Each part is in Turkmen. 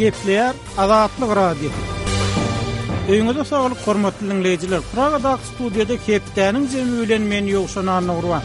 Gepleýär Azatlyk Radiosy. Öýüňize saglyk hormatly diňleýjiler. Pragadaky studiýada hepdäniň jemi bilen men Ýowşan Annagurban.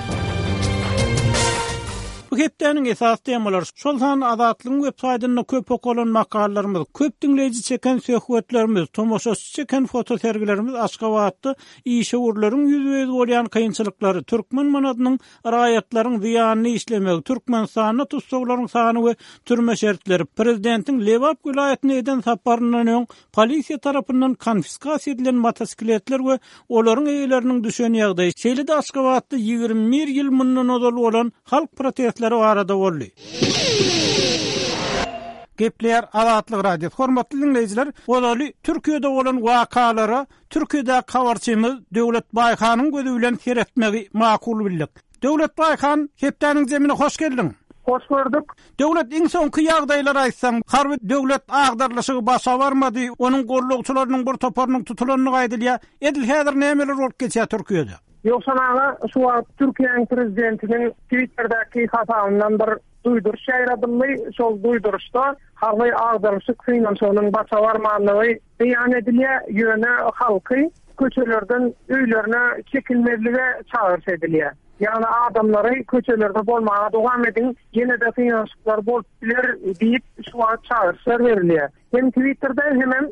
Bu hepdäniň esasy temalary, şol sanda Azatlygyň web saýtynda köp okalan makalalarymyz, köp diňleýji çeken söhbetlerimiz, tomaşaçy çeken fotosergilerimiz Aşgabatda işewürleriň ýüzbe-ýüz bolýan kynçylyklary, türkmen manadynyň raýatlaryň zyýanyna işlemegi, Türkmenistanda tussaglaryň sany we türme şertleri, prezidentiň Lebap welaýatyna eden saparyndan öň polisiýa tarapyndan konfiskasiýa edilen motosikletler we olaryň eýeleriniň düşen ýagdaýy, şeýle-de Aşgabatda 21 ýyl mundan ozal bolan halk protestleri barada boldy. Gepleýär Azatlyk Radiosy. Hormatly diňleýjiler, ozaly Türkiýede bolan wakalara Türkiýedäki habarçymyz Döwlet Baýhanyň gözi bilen seretmegi makul bildik. Döwlet Baýhan, hepdäniň jemine hoş geldiň! Hoş gördük. Döwlet, iň soňky ýagdaýlary aýtsaň, harby döwlet agdarylyşygy başa barmady, onuň gollagçylarynyň bir toparynyň tutulandygy aýdylýar. Edil häzir nämeler bolup geçýär Türkiýede? Ýowşan aga, şu wagt Türkiýäniň prezidentiniň Twitterdäki hasabyndan bir duýduryş ýaýradyldy. Şol duýduryşda harby agdarylyşyk synanyşygynyň başa barmandygy beýan edilýär, ýöne halky köçelerden öýlerine çekilmezlige çagyryş edilýär. Ýagny adamlary köçelerde bolmaga dowam ediň, ýene-de synanyşyklar bolup biler diýip, şu wagt çagyryşlar berilýär. Hem Twitterde hemem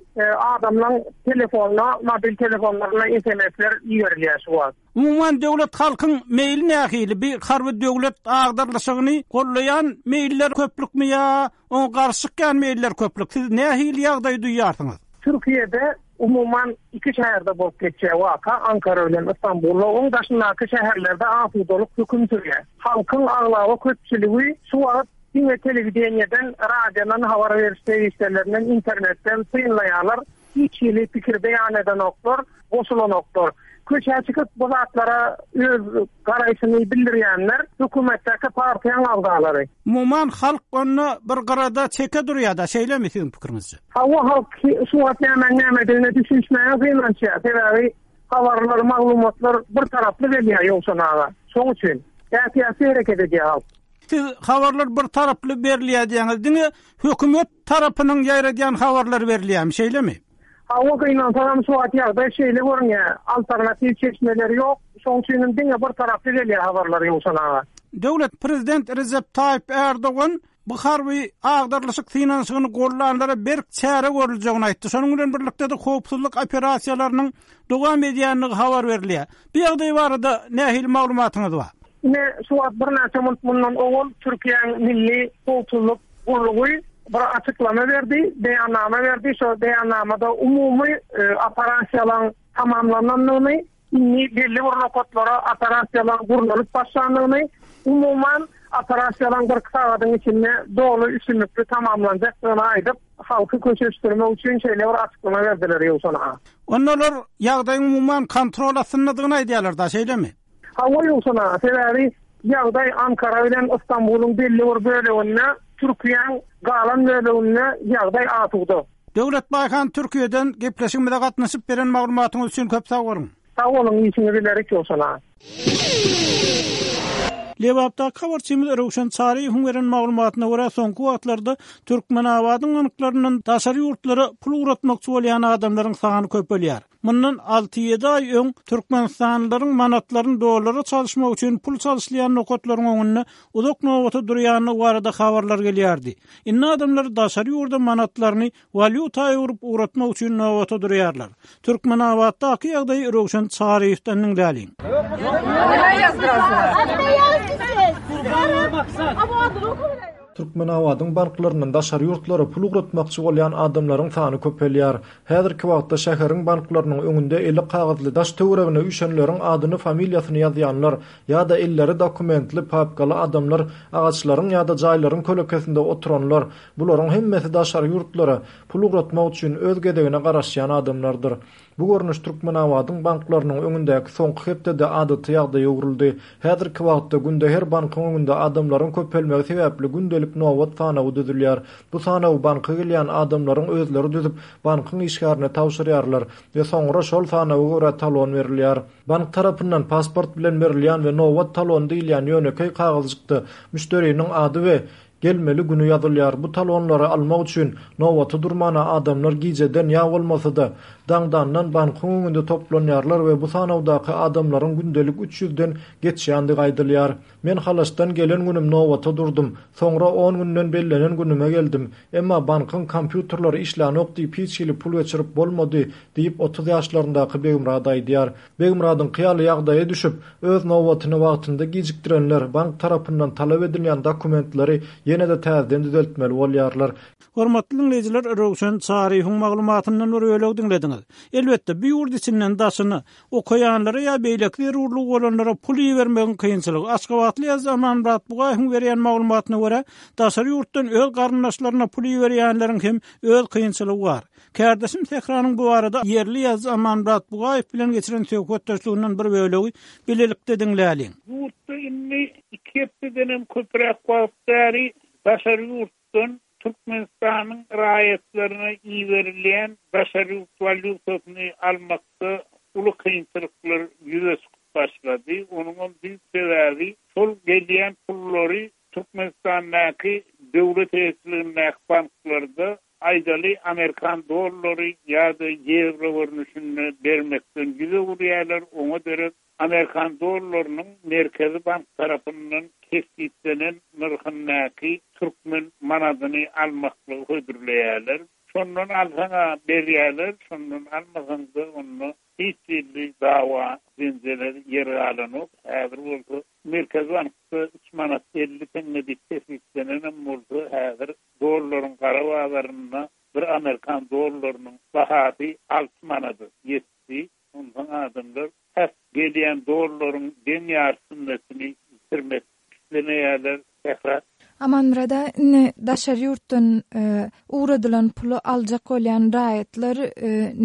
adamlaň telefonyna, mobil telefonlaryna SMS-ler iberilýär şu wagt. Umuman döwlet halkyň meýli nähili? Bi harby döwlet agdarlyşygyny gollaýan meýiller köplükmi ýa oňa garşy çykýan meýiller köplük? Siz nähili ýagdaýy duýýarsyňyz? Türkiýede umuman iki şäherde bolup geçýär waka, Ankara bilen Istanbulda. Oň daşyndaky şäherlerde asudalyk höküm sürýär. Halkyň aglaba köpçüligi şu wagt diňe telewideniýeden, radiodan, habar beriş serişdelerinden, internetden synlaýarlar. Hiç hili pikir beýan edenoklar, goşulanoklar. Köçä çykyp bu zatlara öz garaýşyny bildirýänler hökümetdäki partiýaň agzalary. Umuman halk onda bir gyrada çeke durýada şeýlemi siziň pikiriňizçe? Hawa halk şu wagt nämäň nämedigine düşünişmäge synanyşýar. Sebäbi habarlar, maglumatlar bir taraply gelýär Ýowşan aga. Şoň üçin ätiýaçly hereket edýär halk. Siz habarlar bir taraply berilýär diýýäňiz. Diňe hökümet tarapynyň ýaýradýan habarlary berilýärmi, şeýlemi? Hawa, gynansagam şu wagt ýagdaý şeýle görünýär. Alternatiw çeşmeler ýok. Şoň üçinem diňe bir taraply gelýär habarlar Ýowşan aga. Döwlet Prezident Rejep Taýyp Ärdogan bu harby agdarylyşyk synanyşygyny gollanlara berk çäre görüljegini aýtdy. Şonuň bilen birlikde-de howpsuzlyk operasiýalarynyň dowam edýändigi habar berilýär. Bu ýagdaý barada nähili maglumatyňyz bar? Ine, şu wagt birnäçe minut mundan owal Türkiýäň Milli howpsuzlyk gullugy bir açyklama berdi, beýannama berdi. Şo beýannamada umumy operasiýalaryň tamamlanandygyny, indi belli bir nokatlara operasiýalaryň gurnalyp başlandygyny, umuman, operasiýalaryň birki sagadyň içinde doly üstünlikli tamamlanjakdygyny aýdyp, halky köşeşdirmek üçin şeýle bir açyklama berdiler, Ýowşan aga. Onda olar ýagdaýyň umuman kontrol astyndadygyny aýdýarlar-da, şeýlemi? Hawa Ýowşan aga, sebäbi ýagdaý Ankara bilen Ystambulyň belli bir böleginde, Türkiýäň galan böleginde ýagdaý asuda. Döwlet Baýhan Türkiýeden gepleşigimize gatnaşyp beren maglumatyňyz üçin köp sag boluň. Sag boluň işiňiz ilerik Ýowşan aga. Lebapdaky habarçymyz Röwşen Çaryýewiň beren maglumatyna görä, soňky wagtlarda Türkmenabadyň banklaryndan daşary ýurtlara pul ugratmakçy bolýan adamlaryň sany köpelýär. Mundan alty-ýedi aý öň türkmenistanlylaryň manatlaryny dollara çalyşmak üçin pul çalyşylýan nokatlaryň öňünde uzak nobata durýandygy barada habarlar gelýärdi. Indi adamlar daşary ýurda manatlaryny walýuta öwrüp ugratmak üçin nobata durýarlar. Türkmenabatdaky ýagdaýy Röwşen Çaryýewden diňläliň. Türkmenabadyň banklaryndan daşary ýurtlara pul ugratmakçy bolýan adamlaryň sany köpelýär. Häzirki wagtda şäheriň banklarynyň öňünde eli kagyzly daş-töweregine üýşenleriň adyny-familiýasyny ýazýanlar ýa-da elleri dokumentli, papkaly adamlar, agaçlaryň ýa-da jaýlaryň kölekesinde oturanlar, bularyň hemmesi daşary ýurtlara pul ugratmak üçin öz gezegine garaşýan adamlardyr. Bu görnüş Türkmenabadyň banklarynyň öňündäki soňky hepdede adaty ýagdaýa öwrüldi. Häzirki wagtda günde her bankyň öňünde adamlaryň köpelmegi sebäpli gündelik nobat sanawy düzülýär. Bu sanawy banka gelýän adamlaryň özleri düzüp, bankyň işgärine tabşyrýarlar we soňra şol sanawa görä talon berilýär. Bank tarapyndan pasport bilen berilýän we nobat talony diýilýän ýönekeý kagyzjykda müşderiniň ady we. Gelmeli güni ýazylýar. Bu talonlary almak üçin nobata durmana adamlar gijeden ýa bolmasa-da, daňdandan bankyň öňünde toplanýarlar we bu sanawdaky adamlaryň gündelik üç ýüzden geçýändigi aýdylýar. Men Halaçdan gelen günüm nobata durdum. Soňra on günden bellenen günüme geldim. Emma bankyň kompýuterleri işlänok diýip hiç hili pul geçirip bolmady, diýip, 30 ýaşlaryndaky Begmyrat aýdýar. Begmyradyňky ýaly ýagdaýa düşüp, öz nobatyny wagtynda gijikdirenler bank tarapyndan talap edilýän dokumentleri ýene-de täzeden düzeltmeli bolýarlar. Hormatly diňleýjiler, Röwşen Çaryýewiň maglumatyndan bir bölegi diňlediňiz. Elbetde, bu ýurt içinden daşyna, okaýanlara ýa beýleki zerurlygy bolanlara pul ibermegiň kynçylygy. Aşgabatly ýazyjy Amanmyrat Bugaýewiň berýän maglumatyna görä, daşary ýurtdan öz garyndaşlaryna pul iberýänleriň hem öz kynçylygy bar. Kärdeşim Sähranyň bu barada ýerli ýazyjy Amanmyrat Bugaýew bilen geçiren söhbetdeşliginden bir bölegi bilelikde diňläliň. Ýurtda indi iki hepdedenem köpräk wagt bäri daşary ýurtdan Türkmenistanyň raýatlaryna iberilýän daşary ýurt walýutasyny almakda uly kynçylyklar ýüze çykyp başlady. Onuňam düýp sebäbi şol gelýän pullary Türkmenistandaky döwlet eýeçiligindäki banklarda aýdaly amerikan dollary ýa-da ýewro görnüşinde bermekden ýüz öwürýärler, oňa derek Amerikan dollarynyň Merkezi bank tarapyndan kesgitlenen nyrhyndaky türkmen manadyny almaklygy hödürleýärler. Şondan alsaň-a berýärler, şondan almasaň-da onda hiç hili dawa, jenjele ýer galanok. Häzir bolsa Merkezi bankda üç manat 50 teňňe diýip kesgitlenenem bolsa, häzir dollaryň gara bazarynda bir amerikan dollarynyň bahasy alty manada ýetdi. Onsoň adamlar tas gelýän dollaryň deň ýarsynyny ýitirmek islemeýärler. Sähra. Amanmyrada, indi daşary ýurtdan ugradylan puly aljak bolýan raýatlar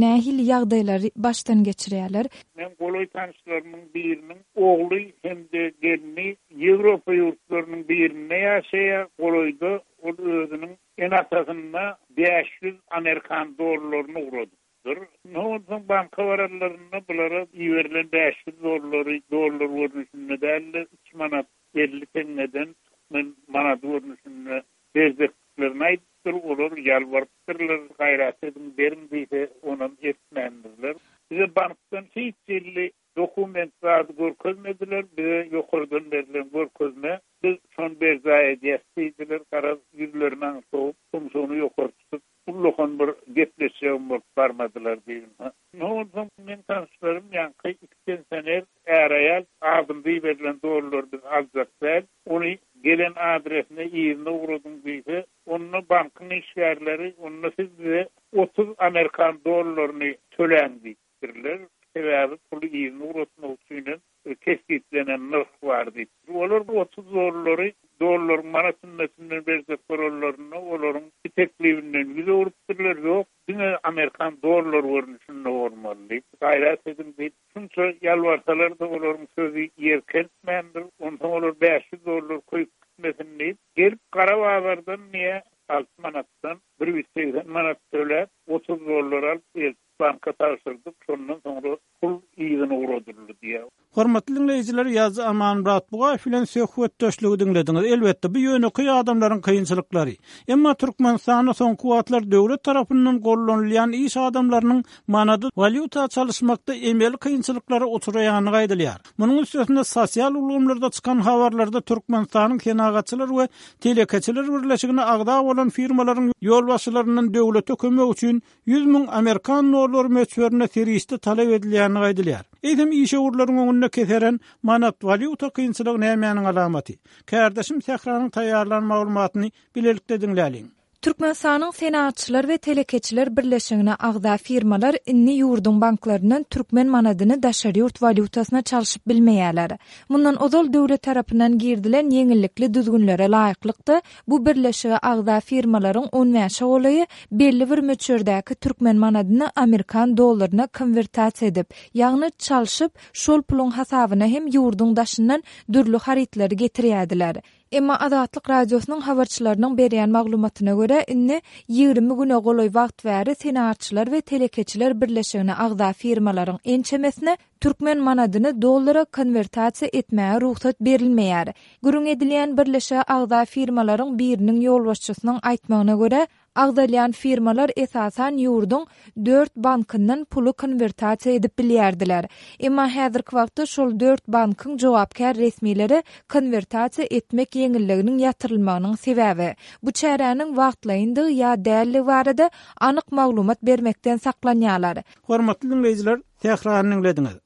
nähili ýagdaýlary başdan geçirýärler? Meň golaý tanyşlarymyň biriniň ogly hem-de gelni Ýewropa ýurtlarynyň birinde ýaşaýar. Golaýda ol özüniň ene-atasyna 500 amerikan dollaryny ugradypdyr. Dur. Indi onsoň banka baranlarynda bulara iberilen 500 dollary dollar görnüşinde däl-de, üç manat 50 teňňeden türkmen manady görnüşinde berjekdiklerini aýdypdyr. Olar ýalbarypdyrlar, gaýrat ediň, beriň diýse, onam etmändirler. Bize bankdan hiç hili dokument zady görkezmediler, bize ýokardan berlen görkezme, biz şony berjaý edýäs diýdiler. Garaz, ýüzlerini aňry sowup, tumşugyny ýokary tutup, Ullakan bir gepleşjegim bolup barmadylar diýdim. Indi onsoň meň tanyşlarym ýaňky iki pensioner är-aýal adymyza iberilen dollary biz aljak däl, ony gelen adresine yzyna ugradyň diýse, onda bankyň işgärleri onda siz bize 30 amerikan dollaryny töläň diýipdirler. Sebäbi puly yzyna ugratmak üçinem kesgitlenen nyrh bar diýip. Olar bu 30 dollary dollaryň manat hümmetinden berjek bolanlarynda olaryň bu teklibinden ýüz öwrüpdirler, ýok, diňe amerikan dollar görnüşinde bolmaly diýip, gaýrat ediň diýip, şunça ýalbarsalar-da olaryň sözi ýer kertmändir. Onsoň olar 500 dollar köýüp gitmesin diýip, gelip gara bazardan diýýär, alty manatdan 180 manat töläp, 30 dollar alyp eltip banka tabşyrdyk, şondan soňra pul yzyna ugradyldy diýýär. Hormatly diňleýjiler, ýazyjy Amanmyrat Bugaýew bilen söhbetdeşligi diňlediňiz. Elbetde, bu ýönekeý adamlaryň kynçylyklary. Emma Türkmenistanda soňky wagtlar döwlet tarapyndan gollanylýan iş adamlarynyň manady walýuta çalyşmakda emeli kynçylyklara uçraýandygy aýdylýar. Munuň üstesine sosial ulgamlarda çykan habarlarda Türkmenistanyň Senagatçylar we telekeçiler birleşigine agza bolan firmalaryň ýolbaşçylaryndan döwlete kömek üçin 100 müň amerikan dollary möçberinde serişde talap edilýändigi aýdylýar. Eýsem, işewürleriň öňünde keseren manat-walýuta kynçylygy nämäniň alamaty? Kärdeşim Sähranyň taýýarlan maglumatyny bilelikde diňläliň. Türkmenistanyň Senagatçylar we telekeçiler birleşigine agza firmalar indi ýurduň banklaryndan türkmen manadyny daşary ýurt walýutasyna çalşyp bilmeýärler. Mundan ozal döwlet tarapyndan girizilen ýeňillikli düzgünlere laýyklykda, Bu birleşige agza firmalaryň on bäşe golaýy belli bir möçberdäki türkmen manadyny amerikan dollaryna konwertasiýa edip, ýagny çalşyp, şol puluň hasabyna hem ýurduň daşyndan dürli harytlary getirýärdiler. Emma Azatlyk Radiosynyň habarçylarynyň berýän maglumatyna görä, indi 20 güne golaý wagt bäri Senagatçylar we telekeçiler birleşigine agza firmalaryň ençemesine. türkmen manadyny dollara konwertasiýa etmäge rugsat berilmeýär. Gürrüň edilýän birleşige agza firmalaryň biriniň ýolbaşçysynyň aýtmagyna görä, agzalýan firmalar esasan ýurduň dört bankyndan puly konwertasiýa edip bilýärdiler. Emma häzirki wagtda şol dört bankyň jogapkär resmileri konwertasiýa etmek ýeňilliginiň ýatyrylmagynyň sebäbi, bu çäräniň wagtlaýyndygy ýa däldigi barada anyk maglumat bermekden saklanýarlar. Hormatly diňleýjiler, Sährany diňlediňiz.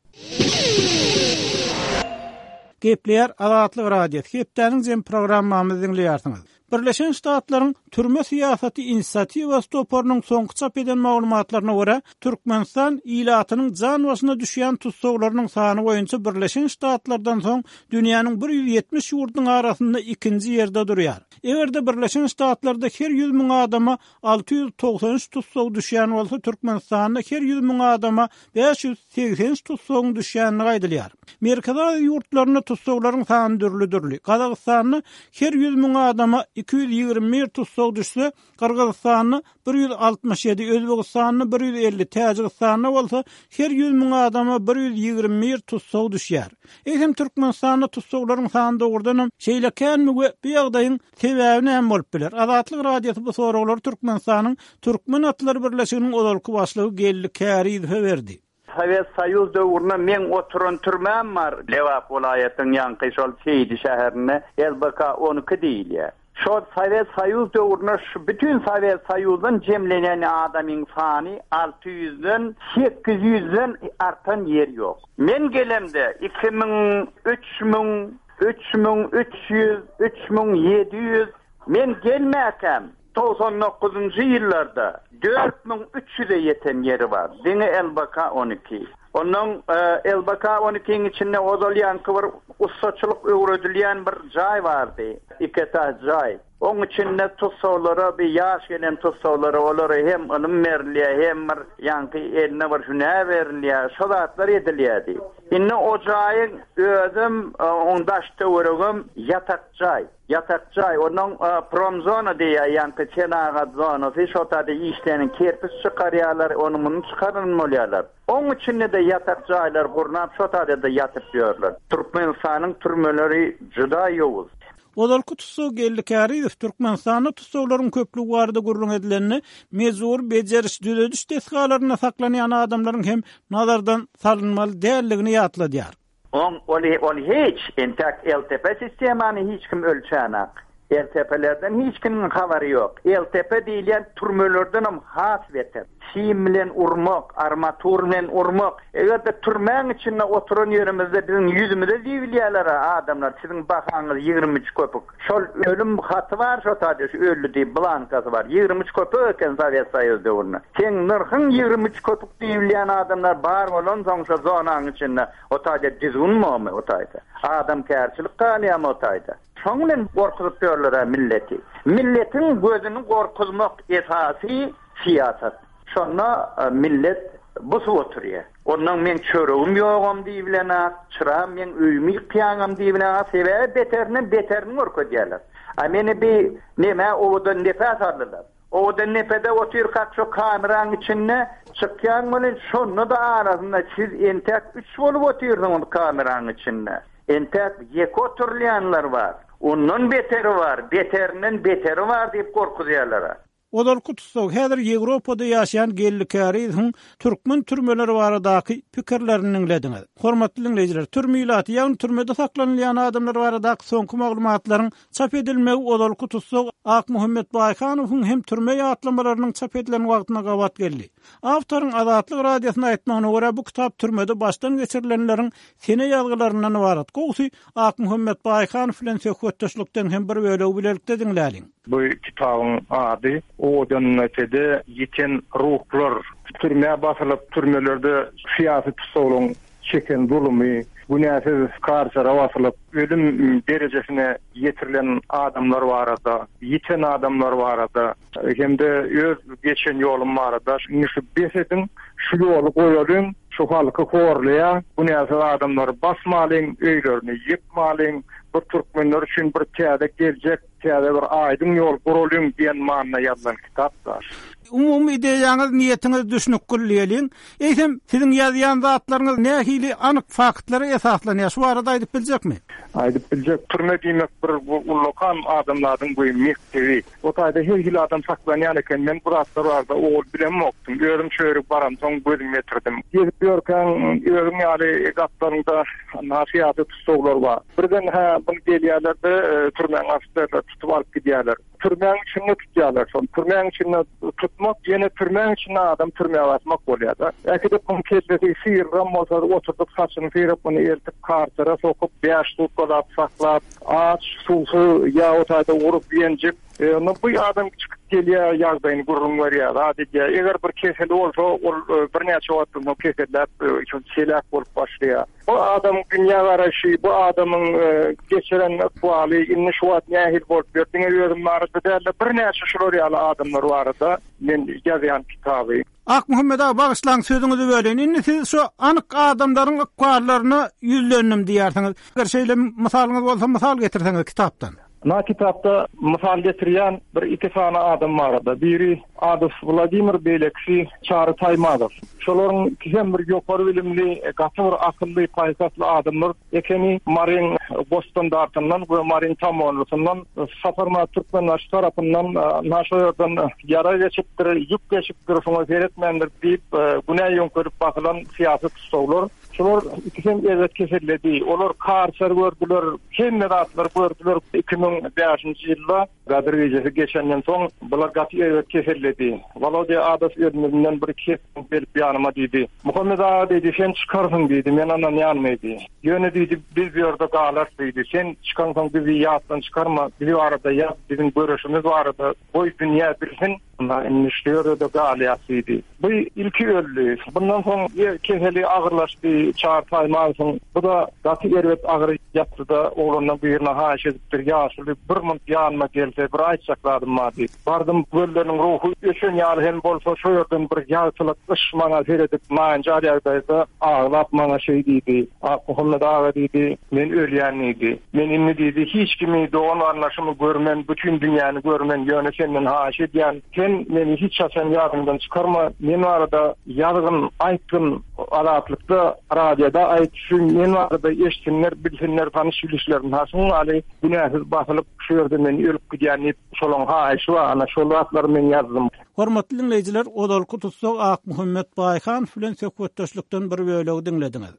Gepleýär Azatlyk Radiosy, hepdäniň jem programmamyzy diňleýärsiňiz. Birleşen Ştatlaryň Türme syýasaty inisiatiwasy toparynyň soňky çap eden maglumatlaryna görä, Türkmenistan ilatynyň jan başyna düşýän tussaglarynyň sany boýunça Birleşen Ştatlardan soň dünýäniň 170 ýurdunyň arasynda ikinji ýerde durýar. Eger-de Birleşen Ştatlarda her 100 müň adama 693 tussag düşýän bolsa, Türkmenistanda her 100 müň adama 583 tussagyň düşýändigi aýdylýar. Merkezi Aziýa ýurtlarynda tussaglaryň sany dürli-dürli. Gazagystanda her 100 müň adama 221 tussag düşse, Gyrgyzystanda 167, Özbegistanda 150, Täjigistanda bolsa her 100 müň adama 121 tussag düşýär. Eýsem, Türkmenistanda tussaglaryň sany dogrudanam şeýle känmi we bu ýagdaýyň Sebäbi näme bolup biler? Azatlyk Radiosy bu soraglary Türkmenistanyň Türkmen atlary birleşiginiň ozalky başlygy Geldi Kärizowa berdi. Sowet Soýuz döwründe meň oturan türmäm bar. Lebap welaýatynyň ýaňky şol Seýdi şäherinde LBK 12 diýilýär. Şol Sowet Soýuz döwründe şu bütin Sowet Soýuzdan jemlenen adamyň sany 600-den, 800-den artan ýeri ýok. Men gelemde 2000, 3000, 3300, 3700, men gelmäkäm, 99-njy ýyllarda 4300-e ýeten ýeri bar, diňe LBK 12. Onnoň LBK 12-iň içinde ozal ýaňky bir ussaçylyk öwredilýän bir jaý bardy, iki etaž jaý. Oň içinde tussaglara, bir ýaş gelen tussaglara, olara hem ylym berilýär, hem bir ýaňky eline bir hünär berilýär, şo zatlar edilýärdi. Indi o jaýyň özem, oň daş-töweregem ýatak jaý. Ýatak jaý. Onnoň promzona diýýär, ýaňky senagat zonasy, şo taýda işleýän kerpiç çykarýarlar, ony-muny çykaran bolýarlar. Oň içinde-de ýatak jaýlar gurnap, şo taýda-da ýatyp ýörler. Türkmenistanyň türmeleri juda ýowuz. Ozalky tussag Geldi Kärizow Türkmenistanda tussaglaryň köplügi barada gürrüň edilende, mejbury bejeriş-düzediş desgalarynda saklanýan adamlaryň hem nazardan salynmaly däldigini ýatladýar. Oň ol ol hiç, entäk LTP sistemany hiç kim ölçänak. LTP-lerden hiç kimiň habary ýok. LTP diýilýän türmelerdenem has beter. Sim bilen urmak, armatur bilen urmak. Eger-de türmäň içinde oturan ýerimizde biziň ýüzümize diýilýärler-ä adamlar, siziň bahaňyz 23 köpük. Şol ölüm haty bar şo taýda, şu öldi diýip blankasy bar. 23 köpük eken Sowet Soýuz döwründe. Seň nyrhyň 23 köpük diýilýän adamlar bar bolansoň şo zonaň içinde o taýda düzgün bormy o taýda? Adamkärçilik galýarmy o taýda? Şoň bilen gorkuzyp ýörler-ä milleti. Milletiň gözüni gorkuzmak esasy syýasat. Şonda millet busup oturýar. Onnoň meň çöregim ýogam diýibilenak, çyram meň öýümi ýykýaňam diýibilenak, sebäbi beterinden beterini görkezýärler. A meni bi nemä owadan depä saldylar. Owadan depede otyrkak şo kameraň içinde çykýaň welin şonda-da arasynda siz entäk üç bolup otyrsyňyz kameraň içinde. Entäk ýeke oturylýanlar bar. Ondan beteri bar, beterinden beteri bar diýip gorkuzýarlar-a. Ozalky tussag, häzir Ýewropada ýaşaýan Geldi Kärizowyň türkmen türmeleri baradaky pikirlerini diňlediňiz. Hormatly diňleýjiler, türme ilaty, ýagny türmede saklanylýan adamlar baradaky soňky maglumatlaryň çap edilmegi ozalky tussag Akmuhammet Baýhanowyň hem türme ýatlamalarynyň çap edilen wagtyna gabat geldi. Awtoryň Azatlyk Radiosyna aýtmagyna görä, bu kitap türmede başdan geçirilenleriň sene ýazgylaryndan ybarat. Gowusy, Akmuhammet Baýhanow bilen söhbetdeşlikden hem bir bölegi bilelikde diňläliň. Bu kitabyň ady Owadandepede ýiten ruhlar. Türmä basylyp, türmelerde syýasy tussaglaryň çeken zulumy, günäsiz karçera basylyp, ölüm derejesine ýetirilen adamlar barada, ýiten adamlar barada hem-de öz geçen ýolum barada indi şu bes ediň, şu ýoly goýalyň, şu halky horlaýar, günäsiz adamlary basmalyň, öýlerini ýykmalyň, bir türkmenler üçin bir täze geljek Täze bir aýdyň ýol guralyň diýen manyda ýazylan kitap daş. Umumy ideýaňyz, niýetiňiz düşnükgil diýeliň. Eýsem, siziň ýazýan zatlaryňyz nähili anyk faktlara esaslanýar? Şu barada aýdyp biljekmi? Aýdyp biljek. Türme diýmek bir ullakan adamzadyň bu mekdebi. O taýda her hili adam saklanýan eken. Men bu zatlar barada owal bilemokdym. Özüm şu ýere baramsoň gözüm ýetirdim. Gezip ýörkäň özüň ýaly gapdalyňda syýasy tussaglar bar. Birden hä bir gelýärler-de, türmäň ofiserleri tutup alyp gidýärler. Türmäň içinde tutýarlar şony. Türmäň içinde tutmak ýene türmäň içinde adam türmä basmak bolýar-da. Äkidip muň kellesi syryram bolsa oturdyp saçyny syryp muny eltip karsera sokup bäş sutkalap saklap aç, suwsuz ýa o taýda urup ýenjip onda bu adam çykyp gelýär ýagdaýyny gürrüň berýär zat edýär. Eger bir keseli bolsa ol birnäçe wagtdan soň keselläp heläk bolup başlaýar. Bu adamyň dünýä garaýşy, bu adamyň geçiren ykbaly indi şu wagt nähili bolup ýör, diňe özüm barada däl-de, birnäçe şular ýaly adamlar barada men ýazýan kitaby. Akmuhammet aga, bagyşlaň sözüňizi böleýin. Indi siz şu anyk adamlaryň ykballaryna ýüzlendim diýýärsiňiz. Eger şeýle mysalyňyz bolsa, mysal getirseňiz kitapdan. Na kitapda mysal getirýän bir iki sany adam barada. Biri Adow Wladimir, beýlekisi Çary Taýmazow. Şolaryň ikisem bir ýokary bilimli, gaty bir akylly, paýhasly adamlar ekeni. Maryň Gosstandartyndan we Maryň Tamonlysyndan Saparmyrat Türkmenbaşy tarapyndan na şo ýerden ýarag geçipdir, ýük geçipdir, şoňa seretmändir diýip, günä ýöňkelip basylan syýasy tussaglar. Şular ikisem erbet keselledi. Olar karser gördüler, hemme zatlary gördüler. 2005-nji ýylda Gadyr gijesi geçenden soň bular gaty erbet keselledi. Wolodýa Adow ölmezinden bir-iki hepde öň gelip ýanyma diýdi. Muhammet aga diýdi, sen çykarsyň diýdi, men ynanýan diýdi. Ýöne diýdi, biz bu ýerde galarys diýdi. Sen çykansoň bizi ýatdan çykarma, biz barada ýaz, biziň göreşimiz barada goý dünýä bilsin. Ynha, indi şu ýerde-de galýas diýdi. Bu ilki öldi. Bundan soň keseli agyrlaşdy, Çary Taýmazowyň. Bu-da gaty erbet agyr ýatdy-da, oglandan birine haýyş edipdir, Ýaşuly, bir munt ýanyma gelse, bir aýtjak zadym bar diýip. Bardym, gözleriniň ruhy öçen ýaly hem bolsa, şo ýerden bir ýagtylyk yş maňa seredip, naýynjar ýagdaýda aglap maňa şeý diýdi, Akmuhammet aga diýdi, men ölýän diýdi. Men indi diýdi, hiç kimi, dogan-garyndaşymy görmen, bütin dünýäni görmen, ýöne senden haýyş edýän, sen meni hiç haçan ýadyňdan çykarma, men barada ýazgyn, aýtgyn, Azatlykda, radioda aýt, şu men barada eşitsinler, bilsinler, tanyş-bilişlerim, ha şuň ýaly günäsiz basylyp, şu ýerde men ölüp gidýän diýip, şolaň haýyşy bar, ana şol zatlary men ýazdym. Hormatly diňleýjiler, ozalky tussag Akmuhammet Baýhanow bilen söhbetdeşlikden bir bölegi diňlediňiz.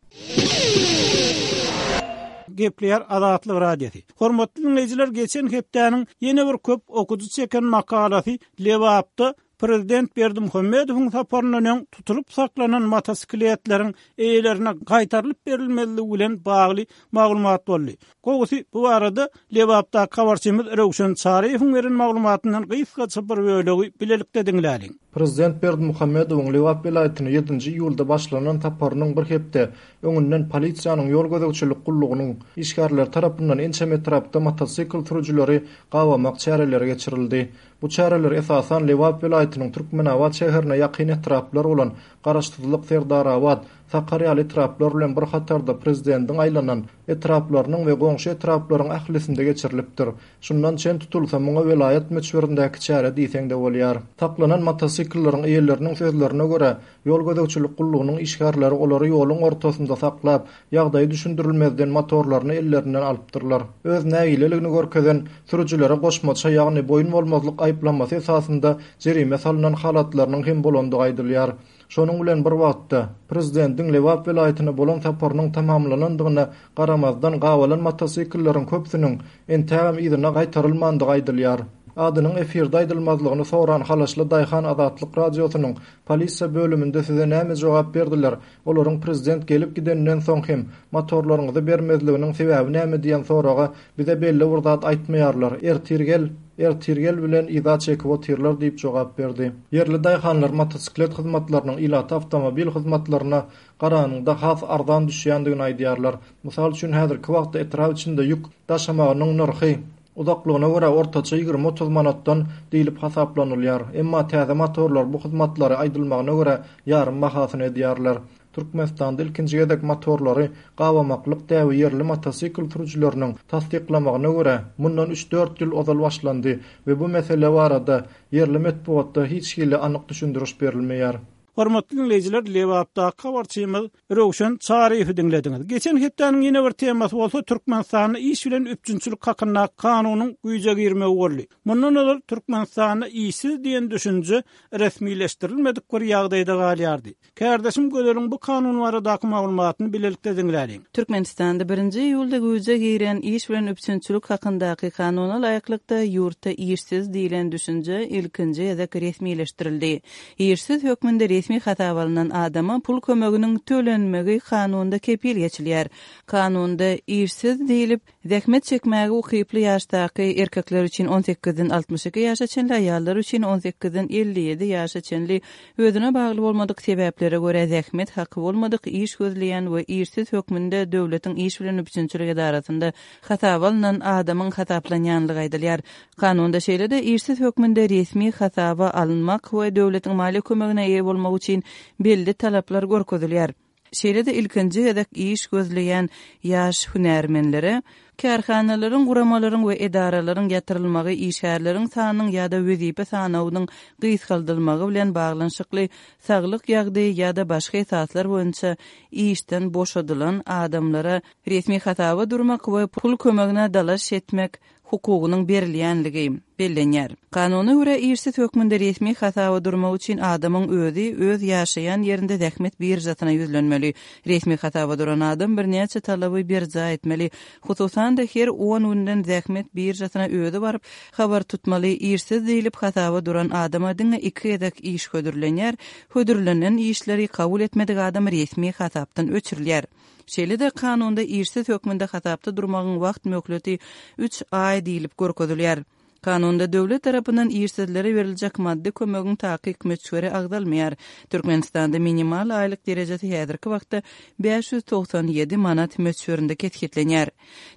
Gepleýär Azatlyk Radiosy. Hormatly diňleýjiler, geçen hepdäniň ýene bir köp okyjy çeken makalasy Lebapda prezident Berdimuhamedowyň saparyndan öň tutulyp saklanan motosikletleriň eýelerine gaýtarylyp berilmezligi bilen bagly maglumat boldy. Gowusy, bu barada Lebapdaky habarçymyz Röwşen Çaryýewiň beren maglumatyndan gysgaça bir bölegi bilelikde diňläliň. Prezident Berdimuhamedowyň Lebap welaýatyna ýedinji iýulda başlanan saparynyň bir hepde öňünden polisiýanyň ýol gözegçilik gullugynyň işgärleri tarapyndan ençeme etrapda motosikl sürüjileri gabamak çäreleri geçirildi. Bu çäreler esasan Lebap welaýatynyň Türkmenabat şäherine ýakyn etraplar bolan Garaşsyzlyk, Serdarabat, Sakar ýaly etraplar bilen bir hatarda prezidentiň aýlanan etraplarynyň we goňşy etraplaryň ählisinde geçirilipdir. Şundan çen tutulsa, muňa welaýat möçberindäki çäre diýseň-de bolýar. Saklanan motosiklleriň eýeleriniň sözlerine görä, ýol gözegçilik gullugynyň işgärleri olary ýoluň ortasynda saklap, ýagdaýy düşündirilmezden motorlaryny ellerinden alypdyrlar. Öz nägileligini görkezen sürüjilere goşmaça, ýagny boýun bolmazlyk aýyplamasy esasynda jerime salnan halatlarynyň hem bolandygy aýdylýar. Şonuň bilen bir wagtda, prezidentiň Lebap welaýatyna bolan saparynyň tamamlanandygyna garamazdan, gabalan motosiklleriň köpüsiniň entägem yzyna gaýtarylmandygy aýdylýar. Adynyň efirde aýdylmazlygyny soran halaşly daýhan Azatlyk Radiosynyň Polisiýa bölüminde size näme jogap berdiler, olaryň prezident gelip gideninden soň hem motorlaryňyzy bermezliginiň sebäbi näme diýen soraga Bize belli bir zat aýtmaýarlar, ertir gel, ertir gel bilen yza çekip otyrlar diýip jogap berdi. Ýerli daýhanlar motosiklet hyzmatlarynyň ilata awtomobil hyzmatlaryna garanyňda has arzan düşýändigini aýdýarlar. Mysal üçin, häzirki wagtda etrap içinde ýük daşamagynyň nyrhy, uzaklygyna görä ortaça 20-30 manatdan diýlip hasaplanylýar. Emma täze motorlar bu hyzmatlary, aýdylmagyna görä, ýarym bahasyna edýärler. Türkmenistanda ilkinji gezek motorlary gabamaklyk däbi ýerli motosikl sürüjileriniň tassyklamagyna görä, mundan üç-dört ýyl ozal başlandy we bu mesele barada ýerli metbugatda hiç hili anyk düşündiriş berilmeýär. Hormatly diňleýjiler, Lebapdaky habarçymyz Röwşen Çaryýewi diňlediňiz. Geçen hepdäniň ýene bir temasy bolsa Türkmenistanda iş bilen üpjünçilik hakyndaky kanunyň güýje girmegi boldy. Mundan ozal Türkmenistanda işsiz diýen düşünje resmileşdirilmedik bir ýagdaýda galýardy. Kärdeşim Gözeliň bu kanun baradaky maglumatyny bilelikde diňläliň. Türkmenistanda birinji iýulda güýje giren Iş bilen üpjünçilik hakyndaky kanuna laýyklykda, ýurtda işsiz diýlen düşünje ilkinji gezek resmileşdirildi. Işsiz hökmünde resmi hasaba alnan adama pul kömeginiň tölenmegi kanunda kepil geçilýär. Kanunda işsiz diýlip, Zähmet çekmäge ukyply ýaşdaky erkekler üçin on sekizden 62 ýaşa çenli, aýallar üçin on sekizden 57 ýaşa çenli özüne bagly bolmadyk sebäplere görä zähmet haky bolmadyk iş gözleýän we işsiz hökmünde döwletiň iş bilen üpjünçilik edarasynda hasaba alnan adamyň hasaplanýanlygy aýdylýar. Kanunda şeýle-de işsiz hökmünde resmi hasaba alynmak we döwletiň maliýe kömegine eýe bolmak üçin belli talaplar görkezilýär. Şeýle-de ilkinji gezek iş gözleýän ýaş hünärmenlere kärhanalaryň, guramalaryň we edaralaryň ýatyrylmagy, işgärleriň sanynyň ýa-da wezipe sanawynyň gysgaldylmagy bilen baglanyşykly saglyk ýagdaýy ýa-da başga esaslar boýunça işden boşadylan adamlara resmi hasaba durmak we pul kömegine dalaş etmek hukugynyň berilýänligi bellenýär. Kanuna görä, işsiz hökmünde resmi hasaba durmak üçin adamyň özi öz ýaşaýan ýerinde zähmet biržasyna ýüzlenmeli. Resmi hasaba duran adam birnäçe talaby berjaý etmeli. Hususan-da, her on günden zähmet biržasyna özi baryp, habar tutmaly. Işsiz diýlip hasaba duran adama diňe iki gezek iş hödürlenýär. Hödürlenen işleri kabul etmedik adam resmi hasapdan öçürilýär. Şeýle-de kanunda işsiz hökmünde hasapda durmagyň wagt möhleti üç aý diýlip görkezilýär. Kanunda döwlet tarapyndan işsizlere beriljek maddy kömegiň takyk möçberi agzalmaýar. Türkmenistanda minimal aýlyk derejesi häzirki wagtda 597 manat möçberinde kesgitlenýär.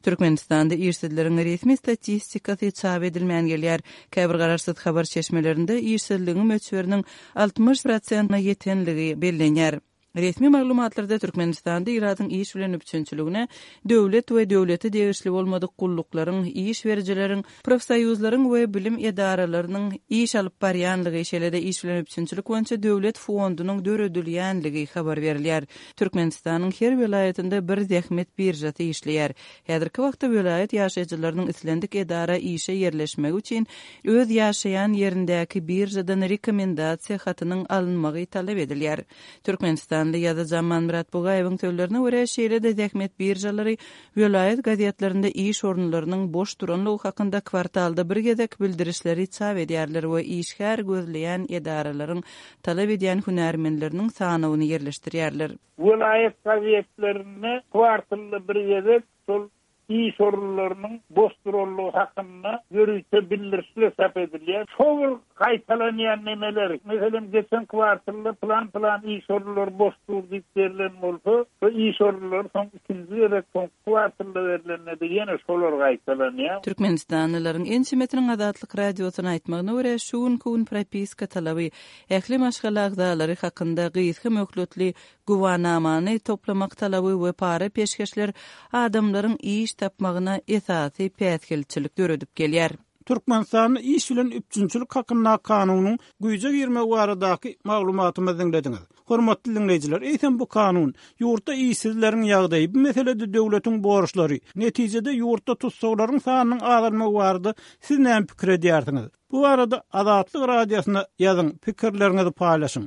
Türkmenistanda işsizleriň resmi statistikasy çap edilmän gelýär. Käbir garaşsyz habar çeşmelerinde işsizligiň möçberiniň 60 prosentine ýetenligi bellenýär. Resmi maglumatlarda Türkmenistanda ilatyň iş bilen üpjünçiligine döwlet we döwlete degişli bolmadyk gulluklaryň, iş berijileriň, profsoýuzlaryň we bilim edaralarynyň iş alyp barýanlygy, şeýle-de iş bilen üpjünçilik boýunça döwlet fondunyň döredilýänligi habar berilýär. Türkmenistanyň her welaýatynda bir zähmet biržasy işleýär. Häzirki wagtda welaýat ýaşaýjylarynyň islendik edara işe ýerleşmegi üçin öz ýaşaýan ýerindäki biržadan rekomendasiýa hatynyň alynmagy talap edilýär. Türkmenistanly ýazyjy Amanmyrat Bugaýewiň sözlerine görä, şeýle-de zähmet biržalary welaýat gazetlerinde iş orunlarynyň boş duranlygy hakynda kwartalda bir gezek bildirişleri çap edýärler we işgär gözleýän edaralaryň talap edýän hünärmenleriniň sanawyny ýerleşdirýärler. Welaýat gazetlerinde kwartalda bir gezek şol iş orunlarynyň boş duranlygy hakynda ýörite bildirişler çap edilýär. Şo bir gaýtalanýan nemeler, meselem, geçen kwartalda pylan-pylan iş orunlary boş dur diýip berlen bolsa, şo iş orunlary soň ikinji gezek soňky kwartalda berlende-de ýene şolar gaýtalanýar. Türkmenistanlylaryň ençemesiniň Azatlyk Radiosyna aýtmagyna görä, şu günki gün propiska talaby Ähli maşgala agzalary hakynda gysga möhletli güwanamany toplamak talaby we para-peşgeşler adamlaryň iş tapmagyna esasy päsgelçilik döredip gelýär. Türkmenistanda iş bilen üpjünçilik hakyndaky kanunyň güýje girmegi baradaky maglumatymyzy diňlediňiz. Hormatly diňleýjiler, eýsem bu kanun, ýurtda işsizleriň ýagdaýy, bu meselede döwletiň borçlary, netijede ýurtda tussaglaryň sanynyň azalmagy barada siz näme pikir edýärsiňiz? Bu barada Azatlyk Radiosyna ýazyň, pikirleriňizi paýlaşyň.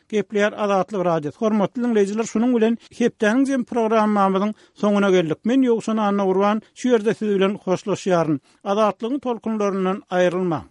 Gepleýär Azatlyk Radiosy. Hormatly diňleýjiler, şunuň bilen hepdäniň jem programmamyzyň soňuna geldik. Men Ýowşan Annagurban şu ýerde siz bilen hoşlaşýaryn. Azatlygyň tolkunlaryndan aýrylmaň.